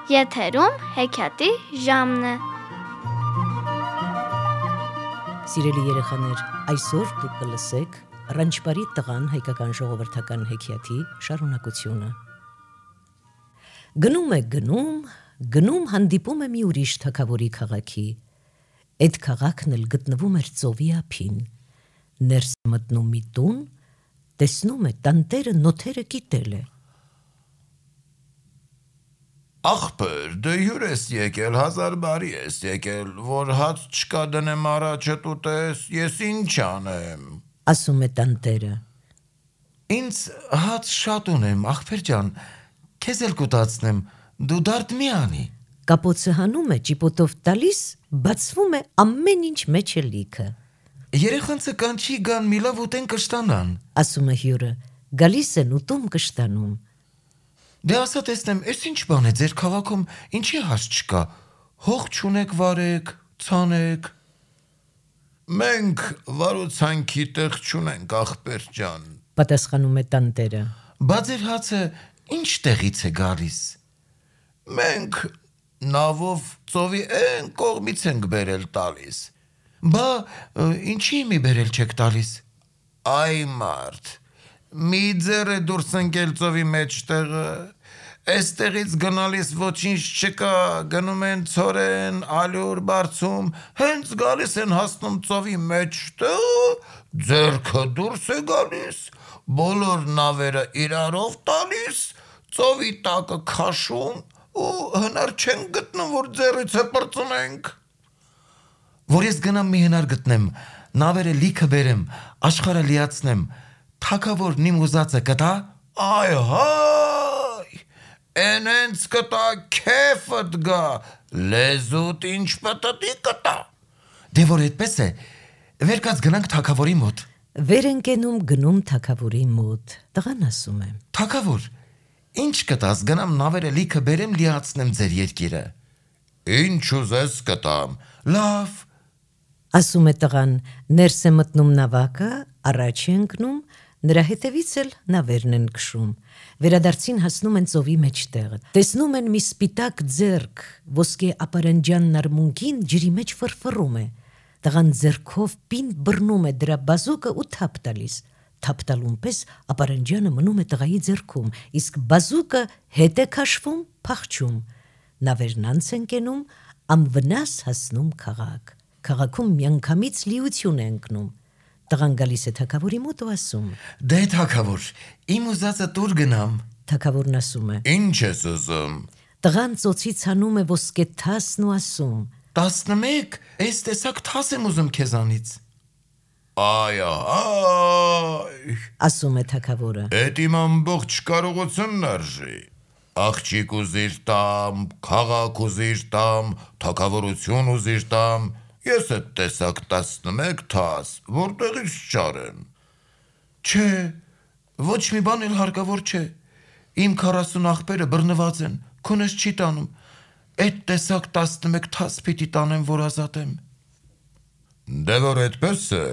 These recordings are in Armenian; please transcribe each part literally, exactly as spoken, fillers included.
Եթերում հեքիաթի ժամն է։ Սիրելի երեխաներ, այսօր դուք կլսեք Ռանչպարի տղան հայկական ժողովրդական հեքիաթի շարունակությունը։ Գնում է գնում, գնում հանդիպում է մի ուրիշ թագավորի քաղաքի։ Այդ քաղաքն էլ գտնվում էր ծովի ափին։ Ներս մտնում մի տուն, տեսնում է տանտերը նոթերը կիտել է։ Աղբեր, դե հյուր ես եկել, հազար բարի ես եկել, որ հաց չկա դնեմ առաջդ ուտես, ես ինչ անեմ, ասում է տանտերը։ Ինձ հաց շատ ունեմ, աղբեր ջան, քեզ էլ կուտացնեմ, դու դարդ մի անի։ Կապոցը հանում է, ճիպոտով տալիս, բացվում է ամեն ինչ մեջ է լիքը։ Երեխանցը կանչի գան միլավ ուտեն կշտանան, ասում է հյուրը, գալիս են ուտում կշտանում։ Դե ասա տեսնեմ, ես ինչ բան է ձեր քաղաքում ինչի հաց չկա, հող չունեք վարեք, ցանեք։ Մենք վարուցանքի տեղ չունենք, աղբեր ջան, պատասխանում է տանտերը։ Բա ձեր հացը ինչ տեղից է գալիս։ Մենք նավով ծովի են կողմից ենք բերել տալիս։ Բա ինչի մի բերել չեք տալիս։ Այ մարդ, մի ձեռ է դուրս ընկել ծովի մեջտեղը, Էստեղից գնալիս ոչինչ չկա, գնում են ցորեն, ալյուր բարձում, հենց գալիս են հասնում ծովի մեջտեղ, ձեռքը դուրս է գալիս, բոլոր նավերը իրարով տալիս, ծովի տակը քաշում ու հնար չեն գտնում, որ ձեռից է պրծնենք։ Որ ես գնամ մի հնար գտնեմ, նավերը լիքը բերեմ, աշխարհը լիացնեմ, թագավորն իմ ուզածը կտա, այ հայ, Էնենց կտա քեֆդ գա, լեզուտ ինչ պտտի կտա։ Դե որ այդպես է, վեր կաց գնանք թագավորի մոտ։ Վեր են կենում գնում թագավորի մոտ, տղան ասում է. Թագավոր, ինչ կտաս գնամ նավերը լիքը բերեմ լիացնեմ ձեր երկիրը։ Ինչ ուզես կտամ, լավ, ասում է տղան, ներս է մտնում նավակը, առաջ է ընկնում, նրա հետևից էլ նավերն են քշում, վերադարձին հասնում են ծովի մեջտեղը, տեսնում են մի սպիտակ ձեռք, ոսկե ապարանջանն արմունկին ջրի մեջ ֆրֆռում է, տղան ձեռքով պինդ բռնում է դրա բազուկը ու թափ տալիս, թափ տալուն պես ապարանջանը մնում է տղայի ձեռքում, իսկ բազուկը հետ է քաշվում, փախչում, նավերն անց են կենում, անվնաս հասնում քաղաք, քաղաքում միանգամից լիություն է ընկնում։ Տղան գալիս է թագավորի մոտ ու ասում. Դե թագավոր, իմ ուզածը տուր գնամ։ Թագավորն ասում է. Ինչ ես ուզում։ Տղան ծոցից հանում է ոսկե թասն ու ասում. տասնմեկ, այս տեսակ թաս եմ ուզում քեզանից։ Այ այ, ասում է թագավորը. Էդ իմ ամբողջ կարողությունն արժի։ Աղջիկ ուզիր տամ, քաղաք ուզիր տամ, թագավորություն ուզիր տամ, Ես էդ տեսակ տասնմեկ թաս, որտեղից չարեմ։ Չէ, ոչ մի բան էլ հարկավոր չէ, իմ քառասուն աղբերը բռնված են, քունս չի տանում, այդ տեսակ տասնմեկ թաս պիտի տանեմ, որ ազատեմ։ Դե որ այդպես է,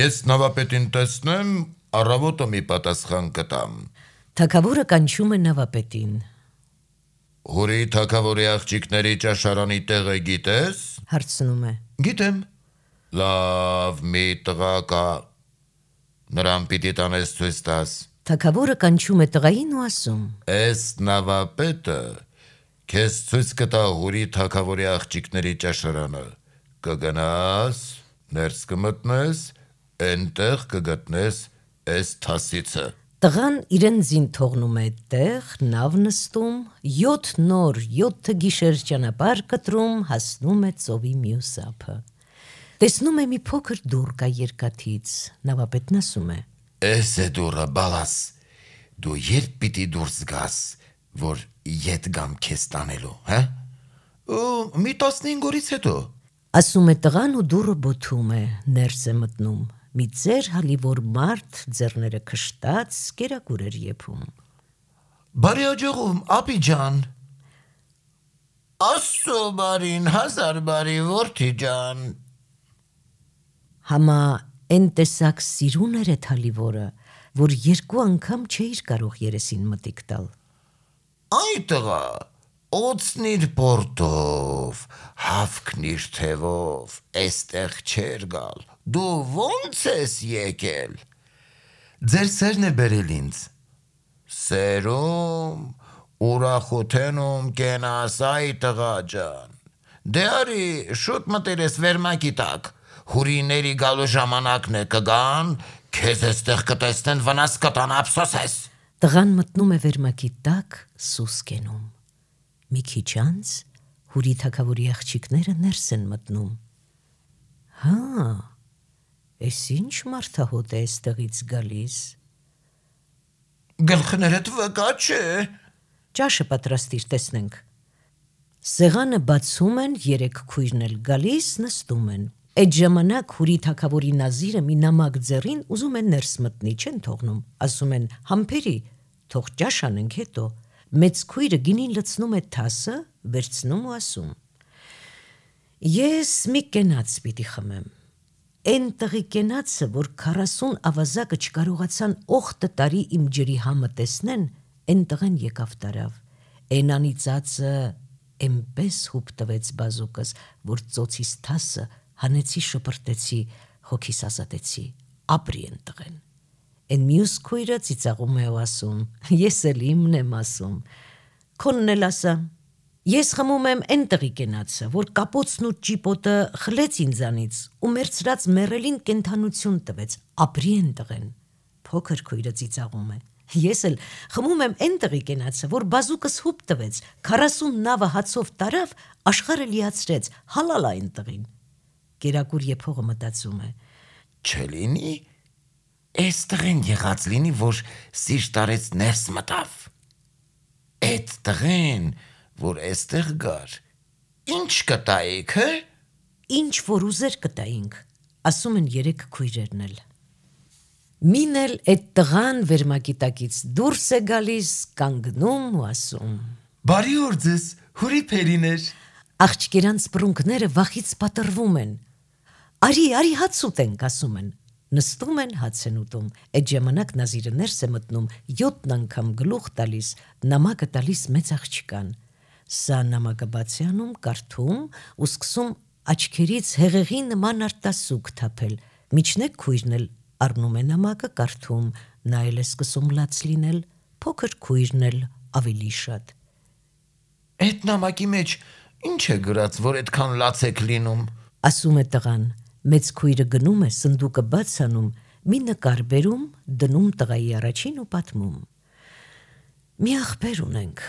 ես նավապետին տեսնեմ, առավոտը մի պատասխան կտամ։ Թագավորը կանչում է նավապետին։ Հուրի թագավորի աղջիկների ճաշարանի տեղը գիտես։ Հարցնում է. Գիտեմ։ Լավ, մի տղա կա, նրան պիտի տանես ցույց տաս։ Թագավորը կանչում է տղային ու ասում. Էս նավապետը քեզ ցույց կտա հուրի թագավորի աղջիկների ճաշարանը։ Կգնաս, ներս կմտնես, այնտեղ կգտնես էս թասիցը։ Տղան իրեն զին թողնում է այդտեղ, նավ նստում, յոթ նոր, յոթ գիշեր ճանապարհ կտրում, հասնում է ծովի մյուս ափը։ Տեսնում է մի փոքր դուռ կա երկաթից, նավապետն ասում է. Էս է դուռը, բալաս, դու երբ պիտի դուրս գաս, որ ետ գամ քեզ տանելու, հա։ Ու մի տասնհինգ օրից հետո։ Ասում է տղան ու դուռը բոթում է, ներս է մտնում։ Մի ծեր հալիվոր մարդ, ձեռները քշտած, կերակուր էր եփում։ Բարի աջողում, ապի ջան։ Աստծո բարին, հազար բարի, որդի ջան։ Համա այն տեսակ սիրուն էր այդ հալիվորը, որ երկու անգամ չէիր կարող երեսին մտիկ տալ։ Այ տղա, օծնիր պորտով, հավքնիր թևով, էստեղ չեր գալ, դու ոնց ես եկել, ձեր սերն է բերել ինձ, սերում, ուրախութենում կենասայի տղա ջան, դե արի շուտ մտեր ես վերմակի տակ, հուրիների գալու ժամանակն է կգան, քեզ էստեղ կտեսնեն վնաս կտան ափսոսես։ Տղան մտնում է վերմակի տակ սուս կենում։ Մի քիչ անց հուրի թագավորի աղջիկները ներս են մտնում։ Հա, էս ինչ մարդահոտ է այստեղից գալիս։ Գլխներդ վկա չէ։ Ճաշը պատրաստիր, տեսնենք։ Սեղանը բացում են, երեք քույրն էլ գալիս նստում են։ Այդ ժամանակ հուրի թագավորի նազիրը մի նամակ ձեռին ուզում են ներս մտնի, չեն թողնում, ասում են համբերի, թող ճաշ անենք հետո։ Մեծ քույրը գինին լցնում է թասը, վերցնում ու ասում. Ես մի կենաց պիտի խմեմ։ Էն տղի կենացը, որ քառասուն ավազակը չկարողացան օխտը տարի իմ ջրի համը տեսնեն, էն տղեն եկավ տարավ։ Էն անիծածը էնպես հուպ տվեց բազուկս, որ ծոցիս թասը հանեցի շպրտեցի, հոգիս ազատեցի, ապրի են տղեն։ Էն մյուս քույրը ծիծաղում է ու ասում. Ես էլ իմն եմ ասում։ Քոնն էլ ասա. Ես խմում եմ էն տղի կենացը, որ կապոցն ու ճիպոտը խլեց ինձանից ու մերցրած մեռելին կենթանություն տվեց, ապրի են տղեն։ Փոքր քույրը ծիծաղում է. Ես էլ խմում եմ էն տղի կենացը, որ բազուկս հուպ տվեց, քառասուն նավը հացով տարավ, աշխարհը լիացրեց, հալալ այն տղին։ Կերակուր եփողը մտածում է. Չլինի, էս տղեն եղած լինի, որ սիրտ արեց ներս մտավ։ Էդ տղեն, որ էստեղ գար, ինչ կտայիք, հը։ Ինչ որ ուզեր կտայինք, ասում են երեք քույրերն էլ։ Մին էլ այդ տղան վերմակի տակից դուրս է գալիս, կանգնում ու ասում. Բարի օր ձեզ, հուրի փերիներ։ Աղջիկերանց բռունկները վախից պատրվում են։ Արի, արի հաց ուտենք, ասում են։ Նստում են, հաց են ուտում։ Այդ ժամանակ նազիրը ներս է մտնում, յոթ անգամ գլուխ տալիս, նամակը տալիս մեծ աղջկան։ Սա նամակը բաց է անում, կարդում ու սկսում աչքերից հեղեղի նման արտասուք թափել։ Միջնեք քույրն էլ առնում է նամակը, կարդում, նա էլ է սկսում լաց լինել, փոքր քույրն էլ ավելի շատ։ Այդ նամակի մեջ ինչ է գրած, որ այդքան լաց եք լինում, ասում է տղան։ Մեծ քույրը գնում է, սնդուկը բաց անում, մի նկար բերում, դնում տղայի առաջին ու պատմում. Մի աղբեր ունենք,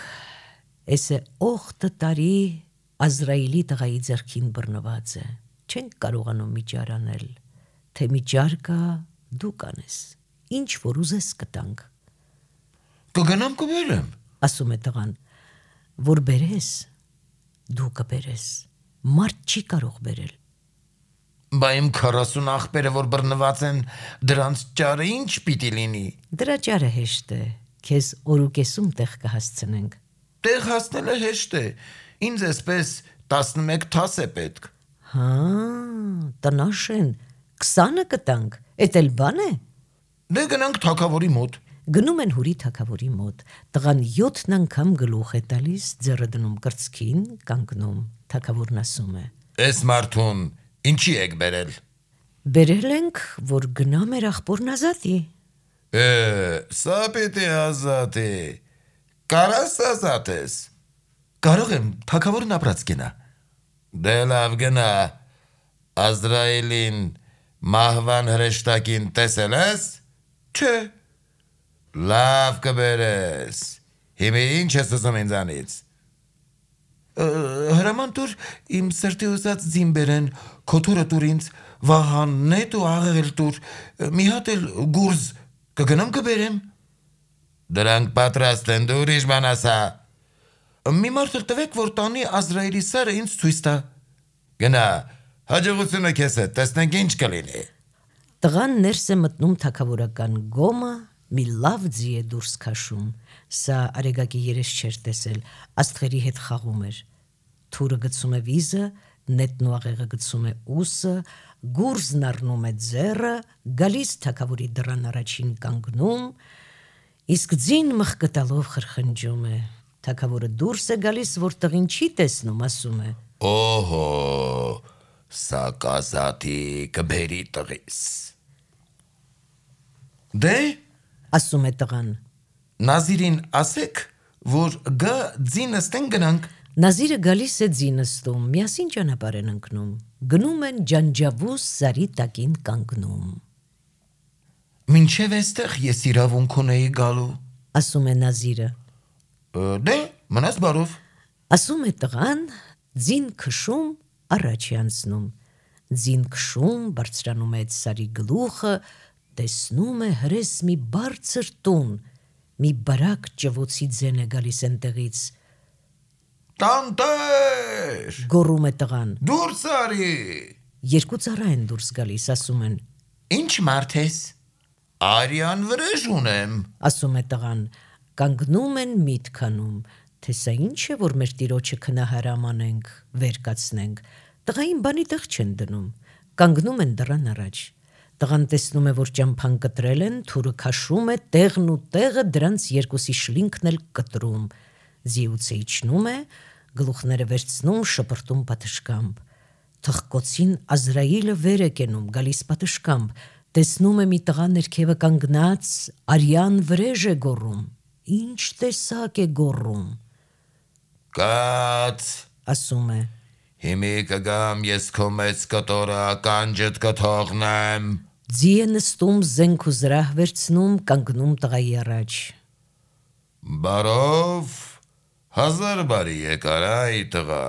էս է օխտը տարի Ազրայիլի տղայի ձեռքին բռնված է, չենք կարողանում միջար անել, թե միջար կա, դու կանես, ինչ որ ուզես կտանք։ Կգնամ կբերեմ, ասում է տղան, որ բերես, դու կբերես, մարդ չի կարող բերել։ Բա իմ քառասուն աղբերը, որ բռնված են, դրանց ճարը ինչ պիտի լինի։ Դրա ճարը հեշտ է, քեզ օրուկեսում տեղ կհասցնենք։ Տեղ հասնելը հեշտ է, ինձ էսպես տասնմեկ թաս է պետք։ Հա, տնաշեն, քսանը կտանք, էդ էլ բան է։ Դե գնանք թագավորի մոտ։ Գնում են հուրի թագավորի մոտ, տղան յոթ անգամ գլուխ է տալիս, ձեռը դնում կրծքին, կանգնում, թագավորն ասում է. Էս մարդուն ինչի եք բերել։ Բերել ենք, որ գնա մեր աղբորն ազատի։ Է, սա պիտի ազատի։ Կարաս ազատես։ Կարող եմ թագավորն ապրած գնա։ Դե լավ գնա։ Ազրայիլին մահվան հրեշտակին տեսել ես։ Չէ։ Լավ կբերես։ Հիմա ինչ ես ուզում ինձանից։ Հրաման տուր իմ սրտի ուզած ձին բերեն, քոթորը տուր ինձ, վահաննետ ու աղեղել տուր, մի հատ էլ գուրզ, կգնամ կբերեմ։ Դրանք պատրաստ են, դու ուրիշ բան ասա։ Մի մարդ էլ տվեք, որ տանի Ազրայիլի սարը ինձ ցույց տա։ Գնա, հաջողությունը քեզ հետ, տեսնենք ինչ կլինի։ Տղան ներս է մտնում թագավորական գոմը, մի լավ ձի է դուրս քաշում, սա արեգակի երես չէր տեսել, աստղերի հետ խաղում էր, թուրը գցում է վիզը, նետն ու աղեղը գցում է ուսը, գուրզն առնում է ձեռը, գալիս թագավորի դռան առաջին կանգնում, իսկ ձին մխկտալով խրխնջում է. Թագավորը դուրս է գալիս, որ տղին չի տեսնում, ասում է. Օհո, սա կազատի կբերի տղիս։ Դե, ասում է տղան։ Նազիրին ասեք, որ գա ձինստեն գնանք։ Նազիրը գալիս է ձինստում, միասին ճանապարհ են ընկնում։ Գնում են ջանջավուս սարի տակին կանգնում։ Մինչև էստեղ ես իրավունք ունեի գալու, ասում է Նազիրը։ Դե, մնաս բարով։ Ասում է տղան, ձին քշում առաջ է անցնում։ Ձին քշում բարձրանում է այդ սարի գլուխը, տեսնում է հրես մի բարձր տուն, մի բարակ ճվոցի ձեն է գալիս այնտեղից։ Տանտեր, գոռում է տղան։ դուրս արի։ Երկու ծառա են դուրս գալիս, ասում են. Ինչ մարդ ես։ Արյան վրեժ ունեմ, ասում է տղան։ Կանգնում են միտք անում, թե սա ինչ է, որ մեր տիրոջը քնահարամ անենք, վեր կացնենք։ Տղային բանի տեղ չեն դնում, կանգնում են դռան առաջ։ Տղան տեսնում է, որ ճամփան կտրել են, թուրը քաշում է, տեղն ու տեղը դրանց երկուսի շլինքն էլ կտրում։ Ձիուցը իջնում է, գլուխները վերցնում, շպրտում պատշկամբ։ Թխկոցին Ազրայիլը վեր է կենում, գալիս պատշկամբ, տեսնում է մի տղա ներքևը կանգնած, արյան վրեժ է գոռում։ Ինչ տեսակ է գոռում։ Կաց, ասում է. հիմի կգամ ես քո մեծ կտորը ականջդ կթողնեմ։ Ձի է նստում, զենք ու զրահ վերցնում, կանգնում տղայի առաջ։ Բարով, հազար բարի եկար այ տղա։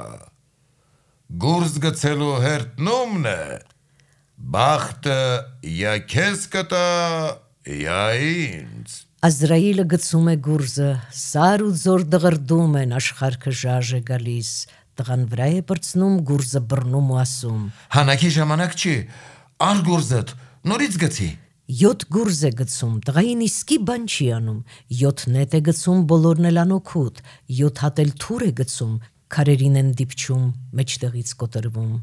Գուրզ գցելու հերտնումն է, բախտը յա քեզ կտա, յա ինձ։ Ազրայիլը գցում է գուրզը, սար ու ձոր դղրդում են, աշխարհքը ժաժ է գալիս, տղան վրա է պրծնում, գուրզը բռնում ու ասում. Հանակի ժամանակ չի, ար գուրզդ, նորից գցի։ Յոթ գուրզ է գցում, տղային իսկի բան չի անում, յոթ նետ է գցում, բոլորն էլ անօգուտ, յոթ հատ էլ թուր է գցում, քարերին են դիպչում, մեջտեղից կոտրվում։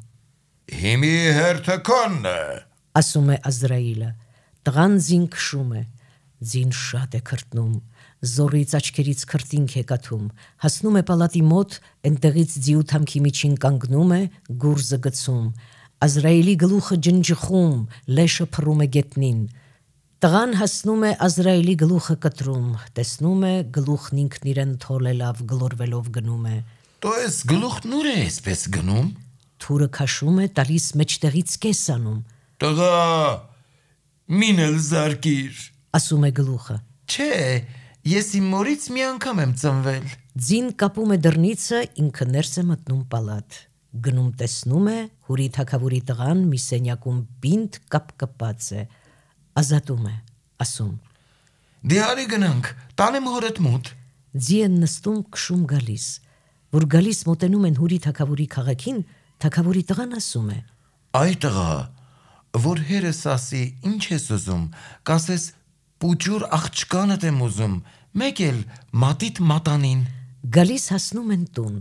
Հիմի հերթը քոնն է, ասում է Ազրայիլը, տղան ձին քշում է, ձին շատ է քրտնում, զորից աչքերից քրտինք է կաթում, հասնում է պալատի մոտ, այնտեղից ձիութամքի միջին կանգնում է, գուրզը գցում, Ազրայիլի գլուխը ջնջխում, լեշը փռում է գետնին։ Տղան հասնում է Ազրայիլի գլուխը կտրում, տեսնում է գլուխն ինքն իրեն թոլելով, գլորվելով գնում է։ Դու ես գլուխն ուր է այսպես գնում։ Թուրը քաշում է, տալիս մեջտեղից կես անում։ Տղա, մինել զարկիր, ասում է գլուխը։ Չէ, ես իմ մորից մի անգամ եմ ծնվել։ Ձին կապում է դռնիցը, ինքը ներս է մտնում պալատ։ Գնում տեսնում է, հուրի թագավորի տղան մի սենյակում բինտ կապկպած է, ազատում է, ասում. Դե արի գնանք, տանեմ հորդ մոտ։ Ձի են նստում, քշում գալիս, որ գալիս մոտենում են հուրի թագավորի քաղաքին, թագավորի տղան ասում է. Այ տղա, որ հերս ասի, ինչ ես ուզում, կասես պուճուր աղջկանդ եմ ուզում, մեկ էլ մատիտ մատանին։ Գալիս հասնում են տուն,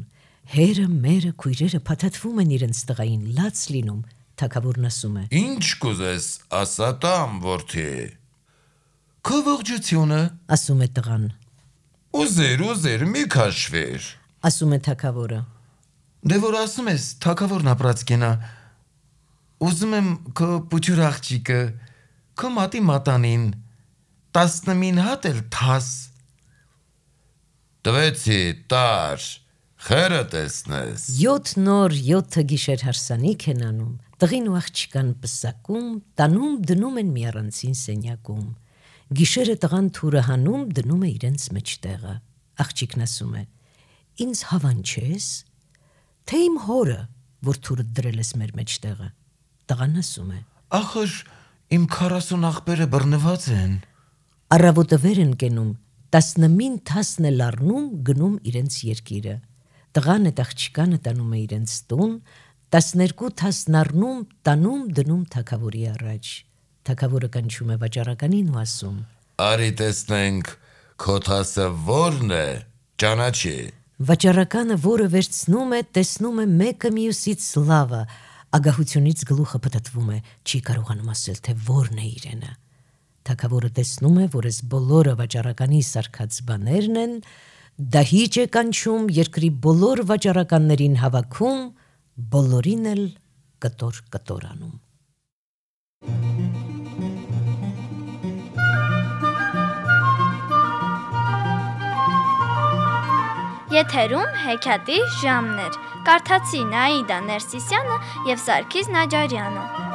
հերը, մերը, քույրերը փաթաթվում են իրենց տղային, լաց լինում, թագավորն ասում է. Ինչ կուզես, ասա տամ, որդի։ Քո ողջությունը, ասում է տղան, ուզեր, ուզեր, մի քաշվեր։ ասում է թագավորը, Դե որ ասում ես, թագավորն ապրած կենա, ուզում եմ քո պուճուր աղջիկը, քո մատի մատանին, տասնմին հատ էլ թաս։ Տվեցի, տար, խերը տեսնես։ յոթ նոր, յոթը գիշեր հարսանիք են անում, տղին ու աղջկան պսակում, տանում դնում են մի առանցին սենյակում։ Գիշերը տղան թուրը հանում, դնում է իրենց մեջտեղը։ Աղջիկն ասում է. Ինձ հավան չես, թե իմ հորը, որ թուրը դրել ես մեր մեջտեղը։ Տղան ասում է. Ախր իմ քառասուն աղբերը բռնված են։ Առավոտը վեր են կենում, տասնմին թասն է լառնում, գնում իրենց երկիրը։ Տղան այդ աղջկանը տանում է իրենց տուն, տասներկու թասն առնում, տանում դնում թագավորի առաջ։ Թագավորը կանչում է վաճառականին ու ասում. Արի տեսնենք, քո թասը որն է, ճանաչի։ Վաճառականը, որը վերցնում է, տեսնում է մեկը մյուսից լավը, ագահությունից գլուխը փթթվում է, չի կարողանում ասել, թե որն է իրենը։ Թագավորը տեսնում է, որ այս բոլորը վաճառականի սարքած բաներն են, դահիճ է կանչում, երկրի բոլոր վաճառականներին հավաքում, բոլորին էլ կտոր կտորանում։ Եթերում հեքիաթի ժամն էր։ Կարդացին Աիդա Ներսիսյանը և Սարգիս Նաջարյանը։